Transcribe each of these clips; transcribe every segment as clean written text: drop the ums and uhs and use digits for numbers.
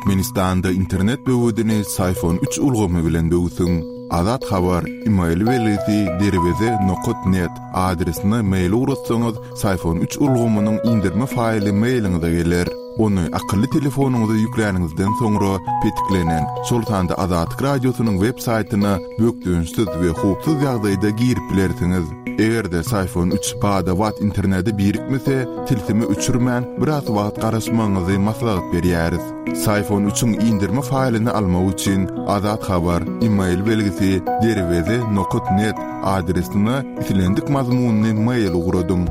Türkmenistanda internet böwedini Syfon üç ulgamy bilen böwsüň. Azat Habar, email belgisi derweze nokat net adresine mail ugratsaňyz, Syfon üç ulgamynyň indirme faýly mailiňize geler. Ony akylly telefonyňyza ýükläniňizden soňra petiklenen, şol sanda Azatlyk Radiosynyň web saýtyna bökdençsiz we howpsuz ýagdaýda girip bilersiňiz. Eger-de Syfon üç bada-bat internete birikmese, tilsimi öçürmän, biraz wagt garaşmagyňyzy maslahat berýäris. Syfon üçiň indirme faýlyny almak üçin Azat Habar, email belgisi, derweze nokat net adresine islendik mazmunly mail ugradyň.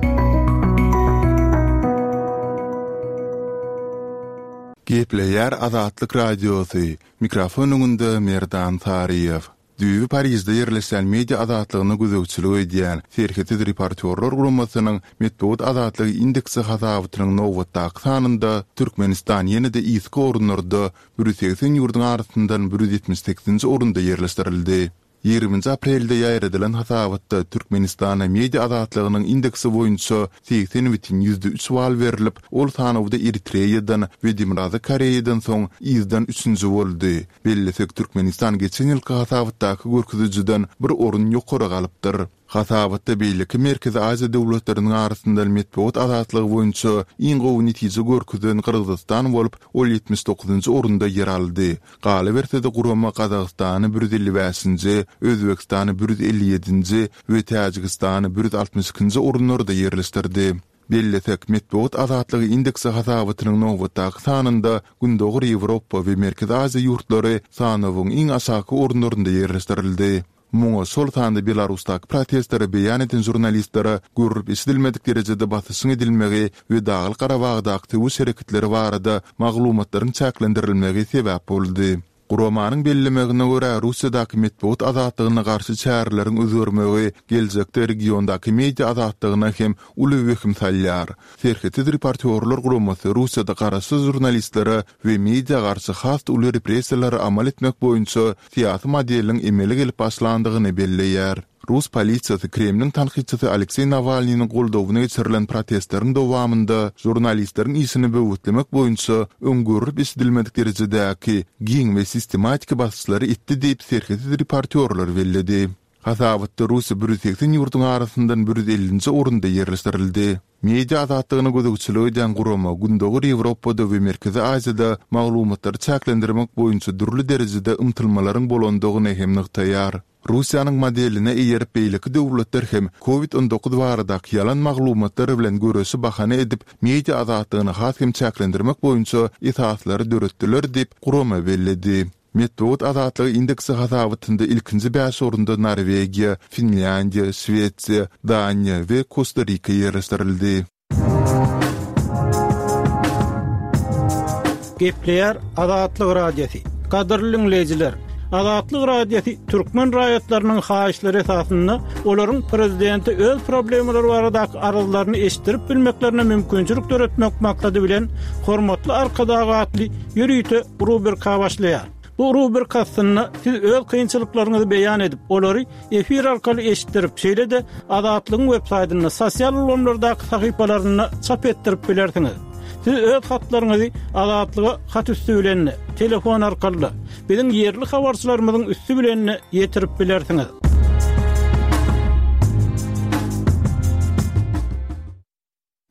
Gepleýär Azatlyk Radiosy, mikrofon öňünde Merdan Saryýew. Düýbi Parižde ýerleşýän media azatlygyna gözegçilik edýän Serhetsiz reportýorlar guramasynyň Metbugat azatlygy indeksi hasabatynyň nobatdaky sanynda Türkmenistan ýene-de yzky orunlarda, 180 ýurduň arasyndan 178-nji orunda ýerleşdirildi. Ýigriminji aprelde ýaýradylan hasabatda Türkmenistana media azatlygynyň indeksi boýunça 80,3 bal berlip, ol sanawda Eritreýadan we Demirgazyk Koreýadan soň yzdan üçünji boldy. Bellesek, Türkmenistan geçen ýylky hasabatdaky görkezijiden bir orun ýokary galypdyr. Hasabatda beýleki Merkezi Aziýa döwletleriniň arasyndan metbugat azatlygy boýunça iň gowy netije görkezen Gyrgyzystan bolup, ol 79-njy orunda ýer aldy. Galyberse-de, gurama Gazagystany 155-nji, Özbegistany 157-nji we Täjigistany 162-nji orunlarda ýerleşdirdi. Bellesek, Metbugat azatlygy indeksi hasabatynyň nobatdaky sanynda Gündogar Ýewropa we Merkezi Aziýa ýurtlary sanawyň iň aşaky orunlarynda ýerleşdirildi. Muňa şol sanda Belarusdaky protestleri beýan eden žurnalistlere görlüp-eşidilmedik derejede basyşyň edilmegi we Daglyk-Garabagdaky söweş hereketleri barada maglumatlaryň çäklendirilmegi sebäp boldy. Guramanyň bellemegine görä, Russiýadaky metbugat azatlygyna garşy çäreleriň özgermegi geljekde regiondaky media azatlygyna hem uly wehim salýar. Serhetsiz reportýorlar guramasy Russiýada garaşsyz žurnalistlere we media garşy has uly repressiýalary amal etmek boýunça syýasy modeliň emele gelip başlandygyny belleýär. Rus polisiýasy Kremliň tankytçysy Alekseý Nawalnynyň goldawyna geçirilen protestleriň dowamynda žurnalistleriň işini böwetlemek boýunça öň görlüp-eşidilmedik derejedäki giň we sistematiki basyşlary etdi diýip, serhetsiz reportýorlar belledi. Hasabatda Russiýa 180 ýurduň arasyndan 150-nji orunda ýerleşdirildi. Media azatlygyna gözegçilik edýän gurama Gündogar Ýewropada we Merkezi Aziýada maglumatlary çäklendirmek boýunça dürli derejede ymtylmalaryň bolandygyny hem nygtaýar. Russiýanyň modeline eýerip beýleki döwletler hem Covid 19 baradaky ýalan maglumatlar bilen göreşi bahana edip media azatlygyny has hem çäklendirmek boýunça esaslary döretdiler diýip, gurama belledi. Metbugat azatlygy indeksi hasabatynda ilkinji bäş orunda Norwegiýa, Finlýandiýa, Şwesiýa, Daniýa we Kosta-Rika ýerleşdirildi. Gepleýär Azatlyk Radiosy. Gadyrly diňleýjiler, Azatlyk Radiosy türkmen raýatlarynyň haýyşlary esasynda olaryň prezidente öz problemalary baradaky arzlaryny eşitdirip bilmeklerine mümkinçilik döretmek maksady bilen Hormatly Arkadag atly ýörite rubrika başlaýar. Bu rubrika astynda siz öz kynçylyklaryňyzy beýan edip, olary efir arkaly eşitdirip, şeýle-de Azatlygyň web saýtynda, sosial ulgamlardaky sahypalarynda çap etdirip bilersiňiz. Siz öz hatlaryňyzy Azatlyga hat üsti bilen-de, telefon arkaly-da, biziň ýerli habarçylarymyzyň üsti bilen-de ýetirip bilersiňiz.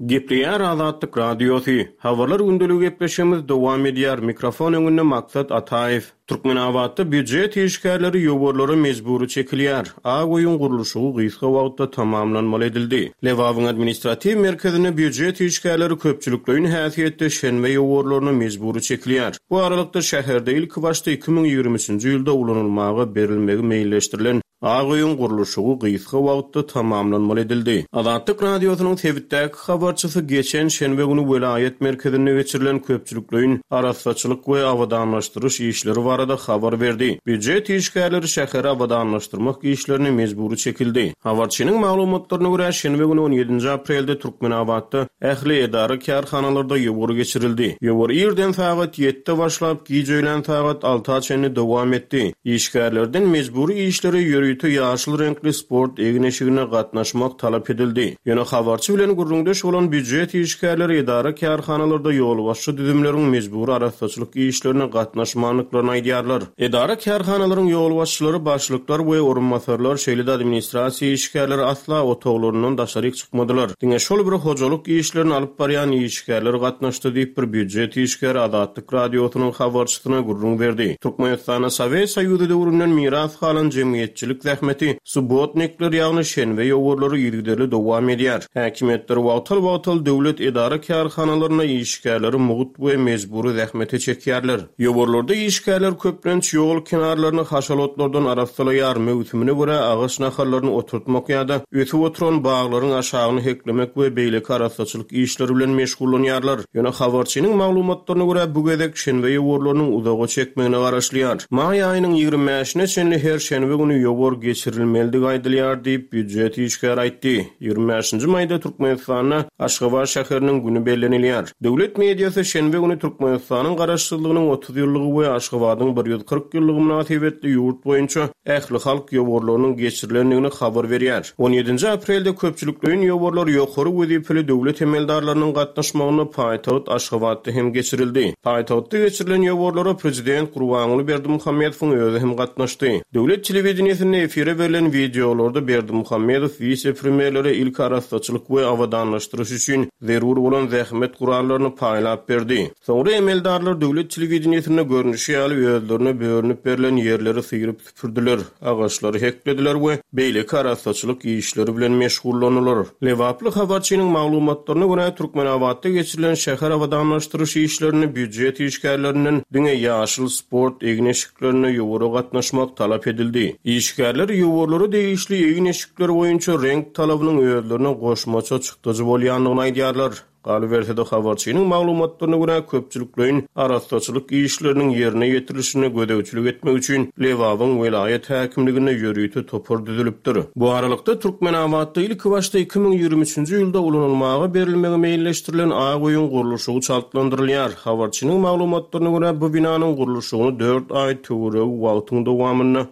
Gepleýär Azatlyk Radiosy. Habarlar gündeligi gepleşigimiz dowam edýär. Mikrofon öňünde Maksat Ataýew. Türkmenabatda býujet işgärleri ýowarlara mejbury çekilýär. Ak öýüň gurluşygy gysga wagtda tamamlanmaly edildi. Lebabyň administratiw merkezinde býujet işgärleri köpçülikleýin häsiýetde şenbe ýowarlaryna mejbury çekilýär. Bu aralykda, şäherde ilkibaşda 2023-nji ýylda ulanylmaga berilmegi meýilleşdirilen Ak öýüň gurluşygy gysga wagtda tamamlanmaly edildi. Azatlyk Radiosynyň sebitdäki habarçysy geçen şenbe güni welaýat merkezinde geçirilen köpçülikleýin arassaçylyk we abadanlaşdyryş işleri barada habar berdi. Býujet işgärleri şäheri abadanlaşdyrmak işlerine mejbury çekildi. Habarçynyň maglumatlaryna görä, şenbe güni on ýedinji aprelde Türkmenabatda ähli edara-kärhanalarda ýowar geçirildi. Ýowar irden sagat ýedide başlap, giç öýlän sagat alta çenli dowam etdi. Işgärlerden mejbury işlere ýörite. ýörite ýaşyl reňkli sport egin-eşigine gatnaşmak talap edildi. Ýöne habarçy bilen gürrüňdeş bolan býujet işgärleri edara-kärhanalarda ýolbaşçy düzümleriň mejbury arassaçylyk işlerine gatnaşmandyklaryny aýdýarlar. Edara-kärhanalaryň ýolbaşçylary, başlyklar we orunbasarlar, şeýle-de administrasiýa işgärleri asla otaglaryndan daşaryk çykmadylar. Diňe şol bir hojalyk işlerini alyp barýan işgärler gatnaşdy diýip, bir býujet işgäri Azatlyk Radiosynyň habarçysyna gürrüň berdi. Türkmenistanda Sowet Soýuzy döwründen miras galan jemgyýetçilik zähmeti, subbotnikler, ýagny şenbe ýowarlary yzygiderli dowam edýär. Häkimiýetler wagtal-wagtal döwlet edara-kärhanalarynda işgärleri mugt we mejbury zähmete çekýärler. Ýowarlarda işgärler köplenç ýol kenarlaryny haşal otlardan arassalaýar, möwsümine görä agaç nahallaryny oturtmak ýa-da ösüp oturan baglaryň aşagyny heklemek we beýleki arassaçylyk işleri bilen meşgullanýarlar. Ýöne habarçynyň maglumatlaryna görä, bu gezek şenbe ýowarlarynyň uzaga çekmegine garaşylýar. Maý aýynyň ýigrimi bäşine çenli her şenbe güni ýowar geçirilmelidigi aýdylýar diýip, býujet işgäri aýtdy. Ýigrimi bäşinji maýda Türkmenistanda Aşgabat şäheriniň güni bellenilýär. Döwlet mediasy şenbe güni Türkmenistanyň Garaşsyzlygynyň 30 ýyllygy we Aşgabadyň 140 ýyllygy mynasybetli ýurt boýunça ählihalk ýowarlarynyň geçirilendigini habar berýär. On ýedinji aprelde köpçülikleýin ýowarlar ýokary wezipeli döwlet emeldarlarynyň gatnaşmagynda paýtagt Aşgabatda hem geçirildi. Paýtagtda geçirilen ýowarlara prezident Gurbanguly Berdimuhamedowyň özi hem gatnaşdy. Döwlet telewideniýesinde efire berlen wideolarda Berdimuhamedow wise-premýerlere ilki arassaçylyk we abadanlaşdyryş üçin zerur bolan zähmet gurallaryny paýlap berdi. Soňra emeldarlar döwlet telewideniýesinde görnüşi ýaly özlerine bölünip berlen ýerleri syryp süpürdiler, agaçlary heklediler we beýleki arassaçylyk işleri bilen meşgullandylar. Lebaply habarçynyň maglumatlaryna görä, Türkmenabatda geçirilen şäher abadanlaşdyryş işlerinde býujet işgärlerinden diňe ýaşyl sport egin-eşiklerinde ýowara gatnaşmak talap edildi. Işgärler ýowarlara degişli egin-eşikler boýunça reňk talabynyň özlerine goşmaça çykdajy bolýandygyny aýdýarlar. Galyberse-de, habarçynyň maglumatlaryna görä, köpçülikleýin arassaçylyk işleriniň ýerine ýetirilişine gözegçilik etmek üçin Lebabyň welaýat häkimliginde ýörite topar düzülipdir. Bu aralykda, Türkmenabatda ilkibaşda 2023-nji ýylda ulanylmaga berilmegi meýilleşdirilen Ak öýüň gurluşygy çaltlandyrylýar. Habarçynyň maglumatlaryna görä, bu binanyň gurluşygyny dört aý töweregi wagtyň dowamynda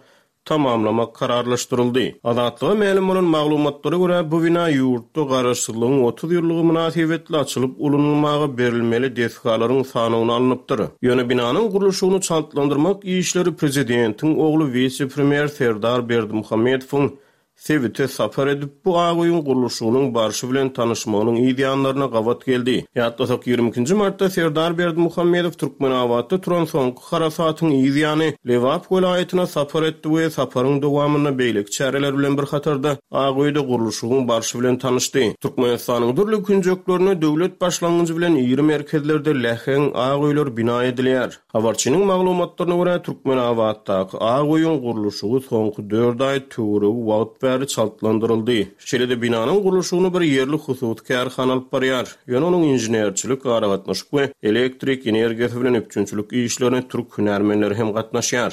tamamlamak kararlaşdyryldy. Azatlyga mälim bolan maglumatlara görä, bu bina ýurtda Garaşsyzlygyň 30 ýyllygy mynasybetli açylyp ulanylmaga berilmeli desgalaryň sanawyna alnypdyr. Ýöne binanyň gurluşygyny çaltlandyrmak işleri prezidentiň ogly wise-premýer Serdar Berdimuhamedowyň sebite sapar edip, bu ak öýüň gurluşygynyň barşy bilen tanyşmagynyň yz ýanlaryna gabat geldi. Ýatlasak, ýigrimi ikinji martda Serdar Berdimuhamedow Türkmenabatda turan soňky harasatyň yz ýany Lebap welaýatyna sapar etdi we saparyň dowamynda beýleki çäreler bilen bir hatarda Ak öýde gurluşygyň barşy bilen tanyşdy. Türkmenistanyň dürli künjeklerinde döwlet başlangyjy bilen iri merkezlerde läheň ak öýler bina edilýär. Habarçynyň maglumatlaryna görä, Türkmenabatdaky Ak öýüň gurluşygy soňky dört aý töweregi wagt bäri çaltlandyryldy. Şeýle-de binanyň gurluşygyny bir ýerli hususy kärhana alyp barýar. Ýöne onuň inženerçilik, aragatnaşyk we elektrik energiýasy bilen üpjünçilik işlerine türk hünärmenleri hem gatnaşýar.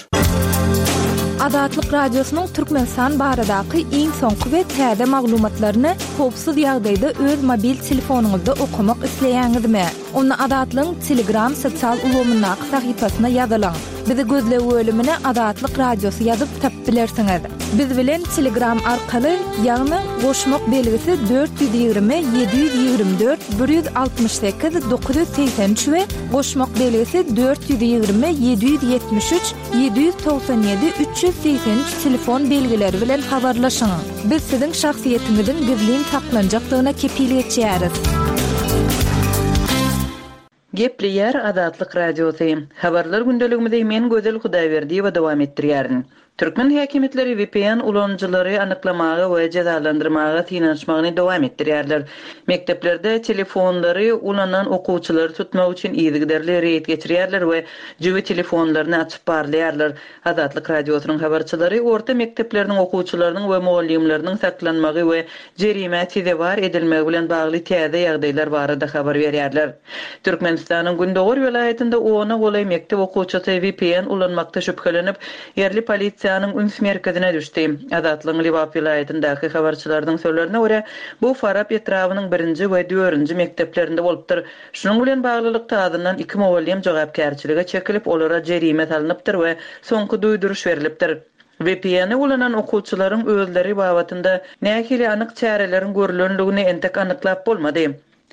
Azatlyk Radiosynyň Türkmenistan baradaky iň soňky we täze maglumatlaryny howpsuz ýagdaýda öz mobil telefonyňyzda okamak isleýäňizmi? Onda Azatlygyň Telegram sosial ulgamyndaky sahypasyna ýazylyň. Bizi gözleg bölümine Azatlyk Radiosy ýazyp tapyp bilersiňiz. Biz bilen Telegram arkaly, ýagny goşmak belgisi 420 724 168 983 we goşmak belgisi 420 773 797 383 telefon belgileri bilen habarlaşyň. Biz siziň şahsyýetiňiziň gizlin saklanjakdygyna kepil geçýäris. Gepleýär Azatlyk Radiosy. Habarlar gündeligimizi men Gözel Hudaýberdiýewa dowam etdirýärin. Türkmen häkimiýetleri vpn ulanyjylary anyklamaga we jezalandyrmaga synanyşmagyny dowam etdirýärler. Mekdeplerde telefonlary ulanan okuwçylary tutmak üçin yzygiderli reýd geçirýärler we jübi telefonlaryny açyp barlaýarlar. Azatlyk Radiosynyň habarçylary orta mekdepleriniň okuwçylarynyň we mugallymlarynyň saklanmagy we jerimä sezewar edilmegi bilen bagly täze ýagdaýlar barada habar berýärler. Türkmenistanyň gündogar welaýatynda ona golaý mekdep okuwçysy vpn ulanmakda şübhelenip, ýerli polisiýanyň üns merkezine düşdi. Azatlygyň Lebap welaýatyndaky habarçylarynyň sözlerine görä, bu Farap etrabynyň birinji we dördünji mekdeplerinde bolupdyr. Şunuň bilen baglylykda, azyndan iki mugallym jogapkärçilige çekilip, olara jerime salnypdyr we soňky duýduryş berlipdir. VPN-i ulanan okuwçylaryň özleri babatynda nähili anyk çäreleriň görlendigini entek anyklap bolmady.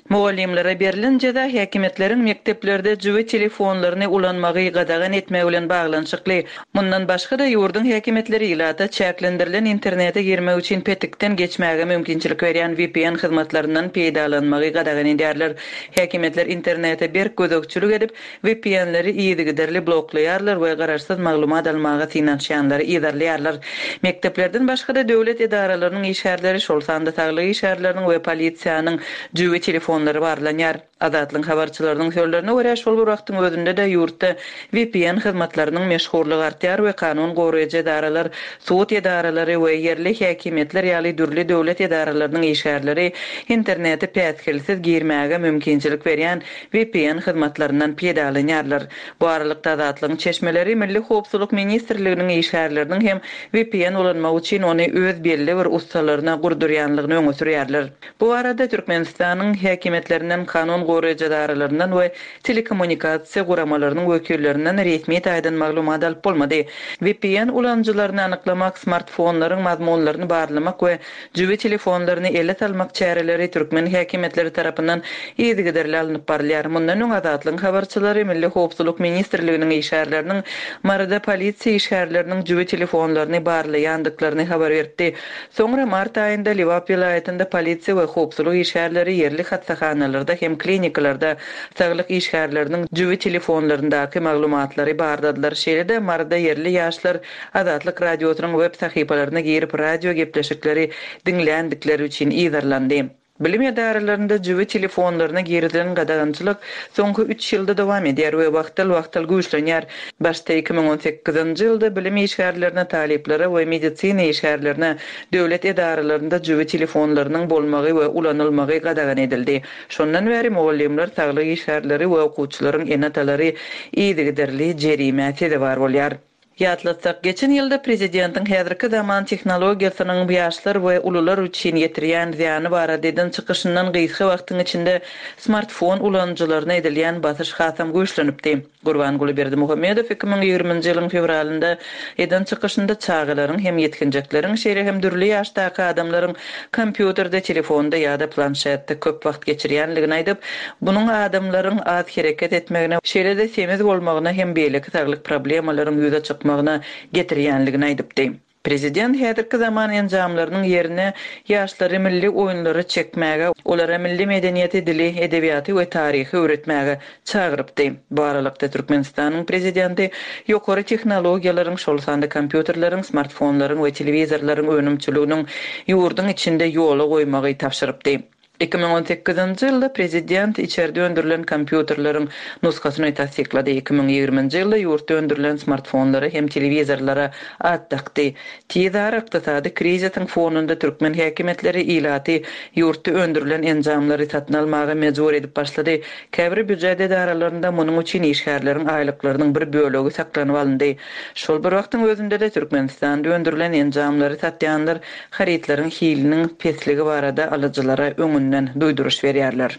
Mugallymlara berlen jeza häkimiýetleriň mekdeplerde jübi telefonlaryny ulanmagy gadagan etmegi bilen baglanyşykly. Mundan başga-da, ýurduň häkimiýetleri ilata çäklendirilen internete girmek üçin petikden geçmäge mümkinçilik berýän VPN hyzmatlaryndan peýdalanmagy gadagan edýärler. Häkimiýetler internete berk gözegçilik edip, VPN-leri yzygiderli bloklaýarlar we garaşsyz maglumat almaga synanyşýanlary yzarlaýarlar. Mekdeplerden başga-da döwlet edaralarynyň işgärleri, şol sanda saglyk işgärleriniň we polisiýanyň jübi telefonlary barlanýar. Azatlygyň habarçylarynyň sözlerine görä, şol bir wagtyň özünde-de ýurtda VPN hyzmatlarynyň meşhurlygy artýar we kanun goraýjy edaralar, sud edaralary we ýerli häkimiýetler ýaly dürli döwlet edaralarynyň işgärleri internete päsgelsiz girmäge mümkinçilik berýän VPN hyzmatlaryndan peýdalanýarlar. Bu aralykda Azatlygyň çeşmeleri Milli howpsuzlyk ministrliginiň işgärleriniň hem VPN ulanmak üçin ony öz belli bir ussalaryna gurdurýanlygyny öňe sürýärler. Bu barada Türkmenistanyň häkimiýetlerinden, kanun goraýjy edaralaryndan we telekommunikasiýa guramalarynyň wekillerinden resmi taýdan maglumat alyp bolmady. VPN ulanyjylaryny anyklamak, smartfonlaryň mazmunlaryny barlamak we Jübi telefonlaryny ele salmak çäreleri türkmen häkimiýetleri tarapyndan yzygiderli alnyp barylýar. Mundan öň Azatlygyň habarçylary Milli howpsuzlyk ministrliginiň işgärleriniň Maryda polisiýa işgärleriniň jübi telefonlaryny barlaýandyklaryny habar beripdi. Soňra mart aýynda Lebap welaýatynda polisiýa we howpsuzlyk işgärleri ýerli hassahanalarda hem klinikalarda saglyk işgärleriniň jübi telefonlaryndaky maglumatlary barladylar. Şeýle-de Maryda ýerli ýaşlar Azatlyk Radiosynyň web sahypalaryna girip radio gepleşikleri diňländikleri üçin yzarlandy. Bilim edaralarynda jübi telefonlaryna girizilen gadagançylyk soňky üç ýylda dowam edýär we wagtal-wagtal güýçlenýär. Başda 2018-nji ýylda bilim işgärlerine, talyplara we medisina işgärlerine döwlet edaralarynda jübi telefonlarynyň bolmagy we ulanylmagy gadagan edildi. Şondan bäri mugallymlar, saglyk işgärleri we okuwçylaryň ene-atalary yzygiderli jerimä sezewar bolýar. Ýatlatsak, geçen ýylda prezidentiň häzirki zaman tehnologiýasynyň ýaşlar we ulular üçin ýetirýän zyýany barada eden çykyşyndan gysga wagtyň içinde smartfon ulanyjylaryna edilýän basyş hasam güýçlenipdi. Gurbanguly Berdimuhamedow 2020-nji ýylyň fewralynda eden çykyşynda çagalaryň hem ýetginjekleriň, şeýle hem dürli ýaşdaky adamlaryň kompýuterde, telefonda ýa-da planşetde köp wagt geçirýänligini aýdyp, munuň adamlaryň az hereket etmegine, şeýle-de semiz bolmagyna hem beýleki saglyk problemalaryň ýüze çykmagyna getirýänligini aýdypdy. Prezident häzirki zaman enjamlarynyň ýerine ýaşlary milli oýunlara çekmäge, olara milli medeniýeti, dili, edebiýaty we taryhy öwretmäge çagyrypdy. Bu aralykda, Türkmenistanyň prezidenti ýokary tehnologiýalaryň, şol sanda kompýuterleriň, smartfonlaryň we telewizorlaryň önümçiliginiň ýurduň içinde ýola goýmagy tabşyrypdy. 2018-nji ýylda prezident içerde öndürilen kompýuterleriň nusgasyny tassyklady, 2020-nji ýylda ýurtda öndürilen smartfonlara hem telewizorlara at dakdy. Tizara ykdysady krizisiň fonunda türkmen häkimiýetleri ilaty ýurtda öndürilen enjamlary satyn almaga mejbur edip başlady. Käbir býujet edaralarynda munuň üçin işgärleriň aýlyklarynyň bir bölegi saklanyp alyndy. Şol bir wagtyň özünde-de Türkmenistanda öndürilen enjamlary satýanlar harytlaryň hiliniň pesligi barada alyjylara öňünden duýduryş berýärler.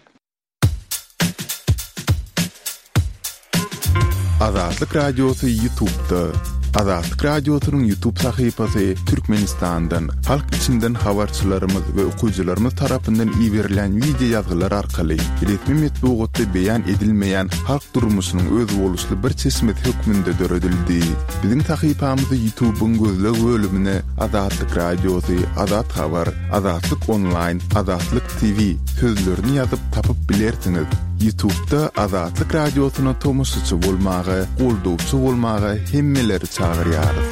Azatlyk Radiosy Ýutubda. Azatlyk Radiosynyň Ýutub sahypasy Türkmenistandan, halk içinden habarçylarymyz we okyjylarymyz tarapyndan iberilen wideo ýazgylar arkaly resmi metbugatda beýan edilmeýän halk durmuşynyň özboluşly bir çeşmesi hökmünde döredildi. Biziň sahypamyzy Ýutubyň gözleg bölümine Azatlyk Radiosy, Azat Habar, Azatlyk Onlaýn, Azatlyk TV sözlerini ýazyp tapyp bilersiňiz. Ýutubda Azatlyk Radiosyna tomaşaçy bolmaga, goldawçy bolmaga hemmeleri çagyrýarys.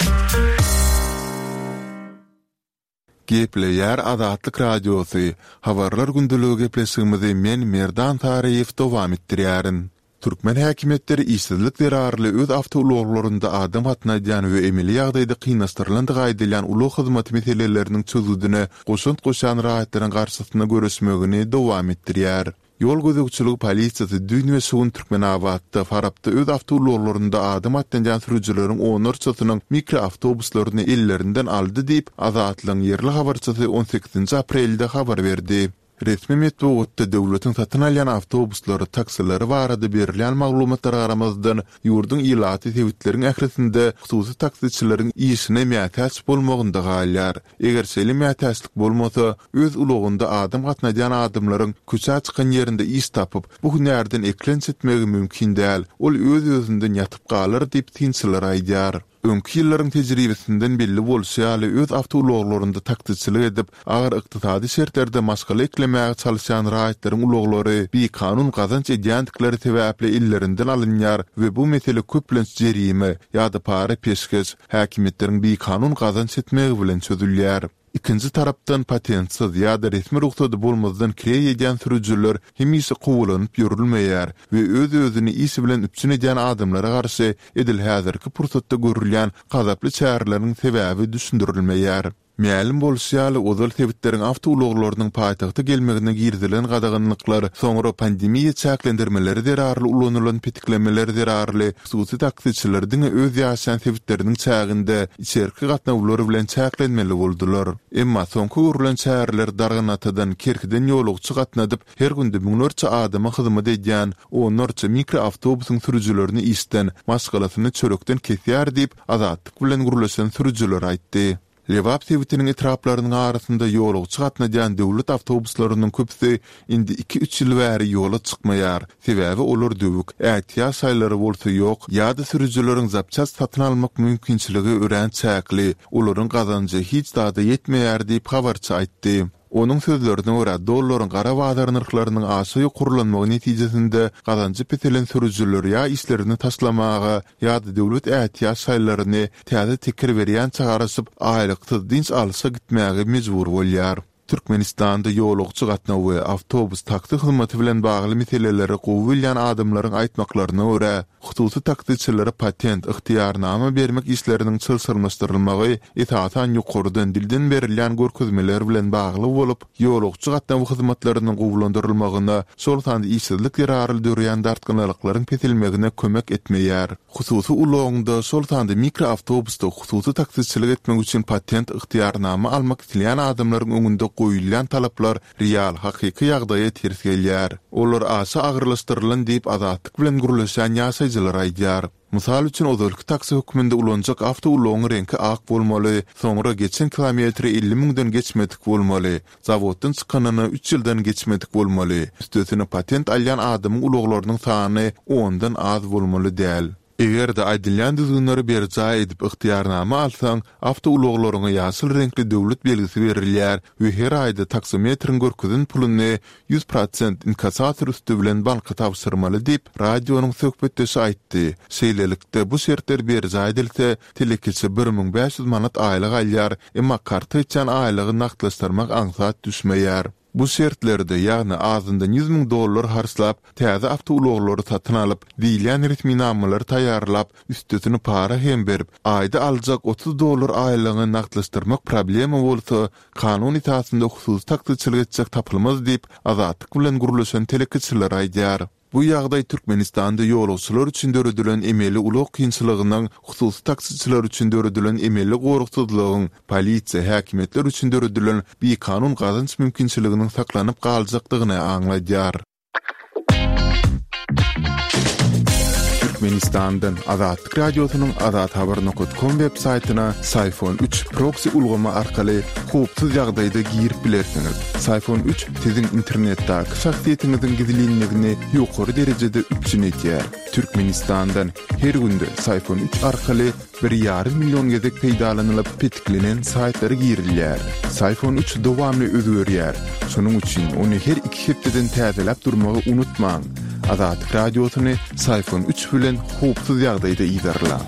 Gepleýär Azatlyk Radiosy, Habarlar gündeligi gepleşigimizi men Merdan Saryýew dowam etdirýärin. Türkmen häkimiýetleri işsizlik zerarly öz awtoulaglarynda adam gatnadýan we emeli ýagdaýda kynlaşdyrylandygy aýdylýan ulag hyzmaty meseleleriniň çözgüdine goşant goşýan raýatlaryň garşysyna göreşmegini dowam etdirýär. Ýol gözegçiligi polisiýasy düýn we şu gün Türkmenabatda, Farapda öz awtoulaglarynda adam gatnadýan sürüjileriň onlarçasynyň mikroawtobuslaryny ellerinden aldy diýip, Azatlygyň ýerli habarçysy on sekizinji aprelde habar berdi. Resmi metbugatda döwletiň satyn alýan awtobuslary, taksileri barada berilýän maglumatlara garamazdan, ýurduň ilaty sebitleriň ählisinde hususy taksiçileriň işine mätäç bolmagynda galýar. Eger şeýle mätäçlik bolmasa, öz ulagynda adam gatnadýan adamlaryň köçä çykan ýerinde iş tapyp, bu hünärden eklenç etmegi mümkin däl, ol öz-özünden ýatyp galar diýip, synçylar aýdýar. Öňki ýyllaryň tejribesinden belli bolşy ýaly, öz awtoulaglarynda taksiçilik edip, agyr ykdysady şertlerde maşgala eklemäge çalyşýan raýatlaryň ulaglary bikanun gazanç edýändikleri sebäpli ellerinden alynýar we bu mesele köplenç jerime ýa-da para-peşgeş, häkimiýetleriň bikanun gazanç etmegi bilen çözülýär. Ikinji tarapdan, patentsiz ýa-da resmi rugsady bolmazdan kireý edýän sürüjiler hemişe kowalanyp ýörülmeýär we öz-özüni iş bilen üpjün edýän adamlara garşy edil häzirki pursatda görülýän gazaply çäreleriň sebäbi düşündirilmeýär. Mälim bolşy ýaly, ozal sebitleriň awtoulaglarynyň paýtagta gelmegine girizilen gadaganlyklar, soňra pandemiýa çäklendirmeleri zerarly ulanylan petiklemeler zerarly Hususy taksiçiler diňe öz ýaşaýan sebitleriniň çäginde içerki gatnawlar bilen çäklenmeli boldular. Emma soňky görlen çäreler Darganatadan, Kerkiden ýolagçy gatnadyp, her günde müňlerçe adama hyzmat edýän onlarça mikroawtobusyň sürüjilerini işden, maşgalasyny çörekden kesýär diýip, Azatlyk bilen gürleşen sürüjiler aýtdy. Lebap sebitiniň etraplarynyň arasynda ýolagçy gatnadýan döwlet awtobuslarynyň köpüsi indi iki-üç ýyl bäri ýola çykmaýar. Sebäbi olar döwük, ätiýaç şaýlary bolsa ýok ýa-da sürüjileriň zapçast satyn almak mümkinçiligi örän çäkli, olaryň gazanjy hiç zada ýetmeýär diýip, habarçy aýtdy. Onuň sözlerine görä, dollaryň gara bazar nyrhlarynyň aşa ýokarlanmagy netijesinde gazanjy peselen sürüjiler ýa işlerini taşlamaga, ýa-da döwlet ätiýaç şaýlaryny täze teker berýänçä garaşyp, aýlyksyz dynç alşa gitmäge mejbur bolýar. Türkmenistanda ýolagçy gatnawy we awtobus, taksi hyzmaty bilen bagly meseleleri gowy bilýän adamlaryň aýtmaklaryna görä, Hususy taksiçilere patent, ygtyýarnama bermek işleriniň çylşyrymlaşdyrylmagy esasan ýokardan, dilden berilýän görkezmeler bilen bagly bolup, ýolagçy gatnawy hyzmatlarynyň gowulandyrylmagyna, şol sanda işsizlik zerarly döreýän dartgynlylyklaryň peselmegine kömek etmeýär. Hususy ulagyňda, şol sanda mikroawtobusda hususy taksiçilik etmek üçin patent, ygtyýarnama almak isleýän adamlaryň öňünde goýulýan talaplar Real, hakyky ýagdaýa ters gelýär. Olar aşa agyrlaşdyrylan diýip, Azatlyk bilen gürleşýän ýaşaýjylar aýdýar. Mysal üçin, ozalky taksi hökmünde ulanjak awtoulagyň reňki ak bolmaly, soňra geçen kilometri 50 müňden geçmedik bolmaly, zawoddan çykanyna üç ýyldan geçmedik bolmaly, üstesine patent alýan adamyň ulaglarynyň sany ondan az bolmaly däl. Eger-de aýdylýan düzgünleri berjaý edip ygtyýarnama alsaň, awtoulaglaryňa ýaşyl reňkli döwlet belgisi berilýär we her aýda taksometriň görkezen puluny 100% inkassator üsti bilen banka tabşyrmaly diýip, radionyň söhbetdeşi aýtdy. Şeýlelikde, bu şertler berjaý edilse, telekeçi 1500 manat aýlyk alýar, emma karta geçýän aýlygy nagtlaşdyrmak aňsat düşmeýär. Bu şertlerde, ýagny azyndan 100 müň dollar harçlap, täze awtoulaglary satyn alyp, diýilýän resminamalary taýýarlap, üstesine para hem berip, aýda aljak 30 dollar aýlygyňy nagtlaşdyrmak problema bolsa, kanun esasynda hususy taksiçilik etjek tapylmaz diýip, Azatlyk bilen gürleşen telekeçiler aýdýar. Bu ýagdaý Türkmenistanda ýolagçylar üçin döredilen emeli ulag kynçylygynyň, hususy taksiçiler üçin döredilen emeli goragsyzlygyň, polisiýa, häkimiýetler üçin döredilen bikanun gazanç mümkinçiliginiň saklanyp galjakdygyny aňladýar. Türkmenistandan Azatlyk Radiosynyň Azathabar nokat kom web saýtyna Syfon üç proksi ulgamy arkaly howpsuz ýagdaýda girip bilersiňiz. Syfon üç Siziň internetdäki şahsyýetiňiziň gizlinligini ýokary derejede üpjün edýär. Türkmenistandan her günde Syfon üç arkaly bir ýarym million gezek peýdalanylyp petiklenen saýtlara girilýär. Syfon üç dowamly özgerýär. Şonuň üçin ony her iki hepdeden täzeläp durmagy unutmaň. Azatlyk Radiosyny Syfon üç bilen howpsuz ýagdaýda yzarlaň.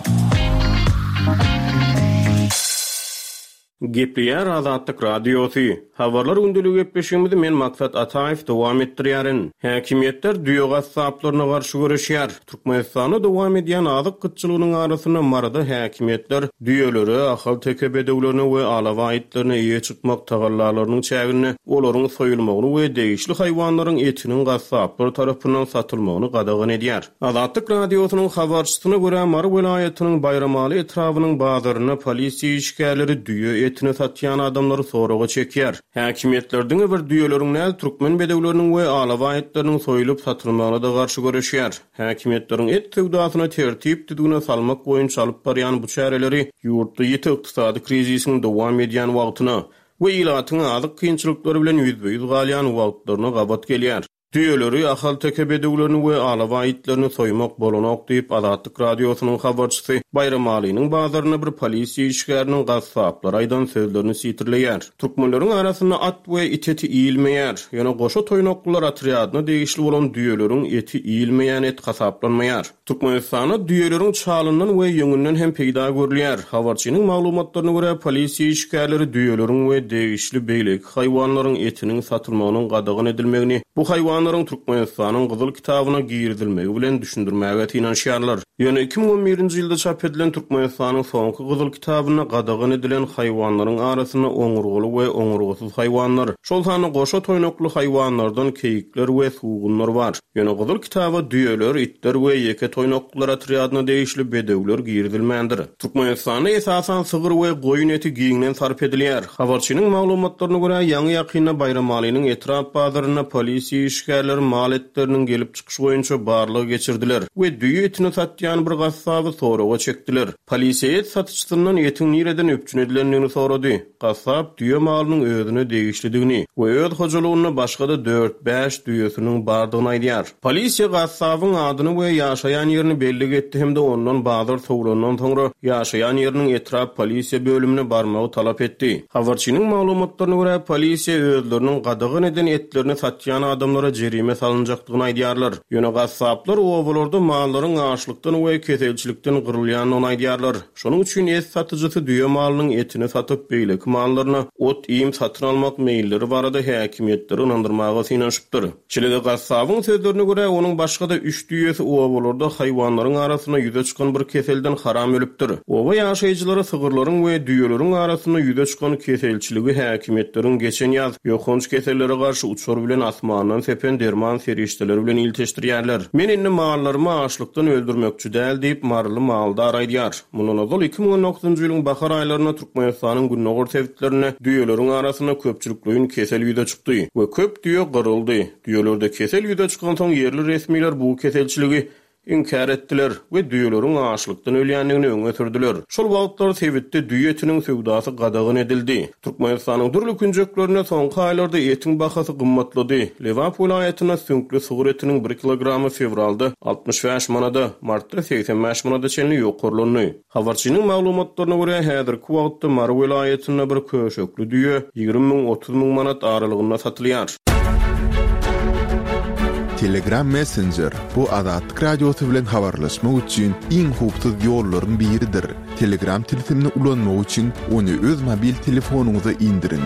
Gepleýär Azatlyk Radiosy. Habarlar gündeligi gepleşigimizi men Maksat Ataýew dowam etdirýärin. Häkimiýetler düýe gassaplaryna garşy göreşýär. Türkmenistanda dowam edýän azyk gytçylygynyň arasynda Maryda häkimiýetler düýelere, ahalteke bedewlerine we alabaý itlerine eýe çykmak tagallalarynyň çäginde olaryň soýulmagyny we degişli haýwanlaryň etiniň gassaplar tarapyndan satylmagyny gadagan edýär. Azatlyk Radiosynyň habarçysyna görä, Mary welaýatynyň Baýramaly etrabynyň bazarynda polisiýa işgärleri düýe eti. etini satýan adamlary soraga çekýär. Häkimiýetler diňe bir düýeleriň däl, türkmen bedewleriniň we alabaý itleriniň soýulyp satylmagyna-da garşy göreşýär. Häkimiýetleriň et söwdasyny tertip-düzgüne salmak boýunça alyp barýan bu çäreleri ýurtda ýiti ykdysady krizisiň dowam edýän wagtyna we ilatyň azyk kynçylyklary bilen ýüzbe-ýüz galýan wagtlaryna gabat gelýär. Düýeleri, ahalteke bedewlerini we alabaý itlerini soýmak bolanok diýip, Azatlyk Radiosynyň habarçysy Baýramalynyň bazarynda bir polisiýa işgäriniň gassaplara aýdan sözlerini sitirleýär. Türkmenleriň arasynda at we it eti iýilmeýär. Ýöne goşa toýnaklylar otrýadyna degişli bolan düýeleriň eti iýilmeýän et hasaplanmaýar. Türkmenistanda düýeleriň çalyndan we ýüňünden hem peýda görülýär. Habarçynyň maglumatlaryna görä, polisiýa işgärleri düýeleriň we degişli beýleki haýwanlaryň etiniň satylmagynyň gadagan edilmegini bu haýwanlaryň Türkmenistanyň Gyzyl kitabyna girizilmegi bilen düşündirmäge synanyşýarlar. Ýöne 2011-nji ýylda çap edilen Türkmenistanyň soňky Gyzyl kitabynda gadagan edilen haýwanlaryň arasynda oňurgaly we oňurgasyz haýwanlar, şol sanda goşa toýnakly haýwanlardan keýikler we sugunlar bar. Ýöne Gyzyl kitaba düýeler, itler we ýeke toýnaklylar otrýadyna degişli bedewler girizilmändir. Türkmenistanda esasan sygyr we goýun eti giňden sarp edilýär. Habarçynyň maglumatlaryna görä, ýaňy-ýakynda Baýramalynyň etrap bazarynda polisiýa işgärleri mal etleriniň gelip çykyşy boýunça barlag geçirdiler we düýe etini satýan bir gassaby soraga çekdiler. Polisiýa et satyjysyndan etiň nireden üpjün edilendigini sorady. Gassap düýe malynyň özüne degişlidigini we öz hojalygynda başga-da dört-bäş düýesiniň bardygyny aýdýar. Polisiýa gassabyň adyny we ýaşaýan ýerini bellik etdi hem-de ondan bazar sowlandan soňra ýaşaýan ýeriniň etrap polisiýa bölümine barmagy talap etdi. Habarçynyň maglumatlaryna görä, polisiýa özleriniň gadagan eden etlerini satýan adamlara jerime salynjakdygyny aýdýarlar. Ýöne gassaplar obalarda mallaryň açlykdan we keselçilikden gyrylýandygyny aýdýarlar. Şonuň üçin et satyjysy düýe malynyň etini satyp, beýleki mallaryna ot-iým satyn almak meýilleri barada häkimiýetleri ynandyrmaga synanyşypdyr. Şeýle-de gassabyň sözlerine görä, onuň başga-da üç düýesi obalarda haýwanlaryň arasynda ýüze çykan bir keselden haram ölüpdir. Oba ýaşaýjylary sygyrlaryň we düýeleriň arasynda ýüze çykan keselçiligi häkimiýetleriň geçen ýaz ýokanç kesellere garşy uçar bilen asmandan sepen derman serişdeleri bilen ilteşdirýärler. Men indi mallarymy açlykdan öldürmekçi däl diýip, maryly maldar aýdýar. Mundan ozal 2019-njy ýylyň bahar aýlarynda Türkmenistanyň gündogar sebitlerinde düýeleriň arasynda köpçülikleýin kesel ýüze çykdy we köp düýe gyryldy. Düýelerde kesel ýüze çykansoň ýerli resmiler bu keselçiligi inkär etdiler we düýeleriň açlykdan ölýändigini öňe sürdüler. Şol wagtlar sebitde düýe etiniň söwdasy gadagan edildi. Türkmenistanyň dürli künjeklerinde soňky aýlarda etiň bahasy gymmatlady. Lebap welaýatynda süňkli sygyr etiniň bir kilogramy fewralda 65 manada, martda 85 manada çenli ýokarlandy. Habarçynyň maglumatlaryna görä, häzirki wagtda Mary welaýatynda bir köşekli düýe 20 müň, 30 müň manat aralygynda satylýar. Telegram Messenger, bu Azatlyk Radiosy bilen habarlaşmak üçin iň howpsuz ýollaryň biridir. Telegram tilsimini ulanmak üçin ony öz mobil telefonyňyza indiriň.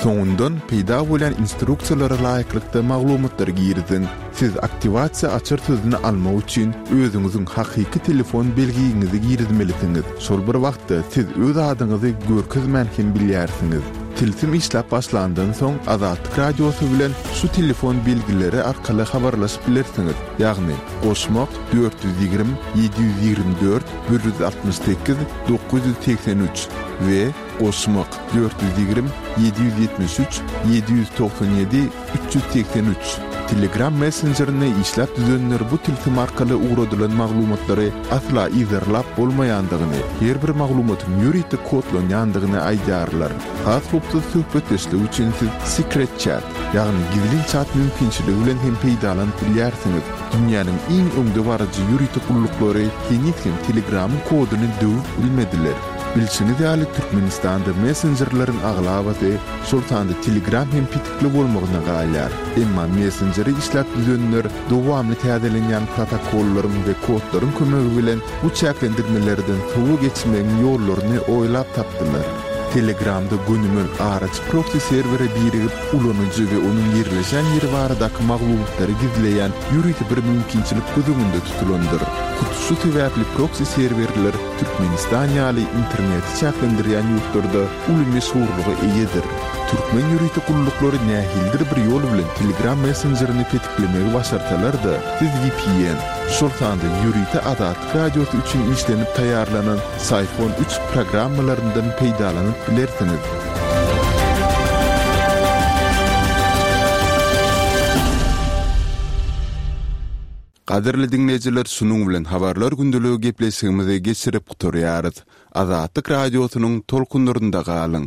Soňundan peýda bolýan instruksiýalara laýyklykda maglumatlary giriziň. Siz aktiwasiýa açar sözüni almak üçin özüňiziň hakyky telefon belgiňizi girizmelisiňiz. Şol bir wagtda siz öz adyňyzy görkezmän hem bilýärsiňiz. Tilsim işläp başlandan soň Azatlyk Radiosy bilen şu telefon belgileri arkaly habarlaşyp bilersiňiz, ýagny, goşmak, 420 724 168 983 we goşmak, 420 773 797 383. Telegram messenjerini işläp düzenler bu tilsim arkaly ugradylan maglumatlary asla yzarlap bolmaýandygyny, her bir maglumatyň ýörite kodlanýandygyny aýdýarlar. Has howpsuz söhbetdeşlik üçin siz Secret Chat, ýagny gizlin çat mümkinçiligi bilen hem peýdalanyp bilýärsiňiz. Dünýäniň iň öňdebaryjy ýörite gulluklary heniz hem Telegramyň koduny döwüp bilmediler. Bilşiňiz ýaly, Türkmenistanda messenjerleriň aglabasy, şol sanda Telegram hem petikli bolmagyna galýar. Emma messenjeri işläp düzenler dowamly täzelenýän protokollaryň we kodlaryň kömegi bilen bu çäklendirmelerden sowa geçmegiň ýollaryny oýlap tapdylar. Telegramda gönümel araçy proksi serwere birigip, ulanyjy we onuň ýerleşen ýeri baradaky maglumatlary gizleýän ýörite bir mümkinçilik göz öňünde tutulandyr. Hut şu sebäpli proksi serwerler Türkmenistan ýaly interneti çäklendirýän ýurtlarda uly meşhurlyga eýedir. Türkmen ýörite gulluklary nähilidir bir ýol bilen Telegram messenjerini petiklemegi başarsalar-da, siz vpn, şol sanda ýörite Azatlyk Radiosy üçin işlenip taýýarlanan Syphon üç programmalaryndan peýdalanyp bilersiňiz. Gadyrly diňleýjiler şunuň bilen Habarlar gündeligi gepleşigimizi geçirip gutarýarys. Azatlyk Radiosynyň tolkunlarynda galyň!